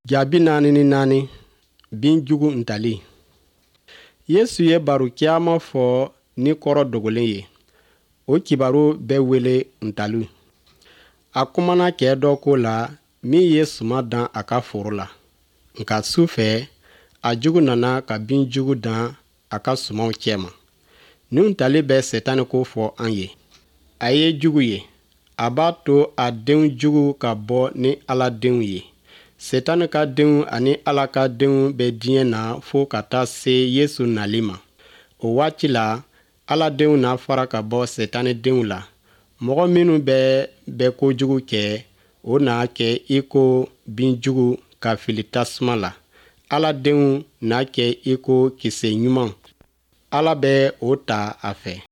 Ja 44, Binjugu ntali. Yesu ye baro caman fɔ ni kɔrɔ dogolen ye. O kibaru bɛ wele ntali. A kumana cɛ dɔ ko la min ye suman dan a ka foro la. Nka su fɛ, a jugu nana ka binjugu dan a ka sumanw cɛma. Nin ntali bɛ Sɛtanɛ ko fɔ an ye. A ye jugu ye. A b'a to a denw jugu ka bɔ ni Ala denw ye. Sɛtanɛ ka denw ani Ala ka denw bɛ diɲɛ na fo ka taa se Yesu nali ma. O waati la, Ala denw na fara ka bɔ Sɛtanɛ denw la. Mɔgɔ minnu bɛɛ bɛ kojugu kɛ, o na kɛ i ko binjugu ka fili tasuma la. Ala denw na kɛ i ko kisɛ ɲuman. Ala bɛ o ta a fɛ.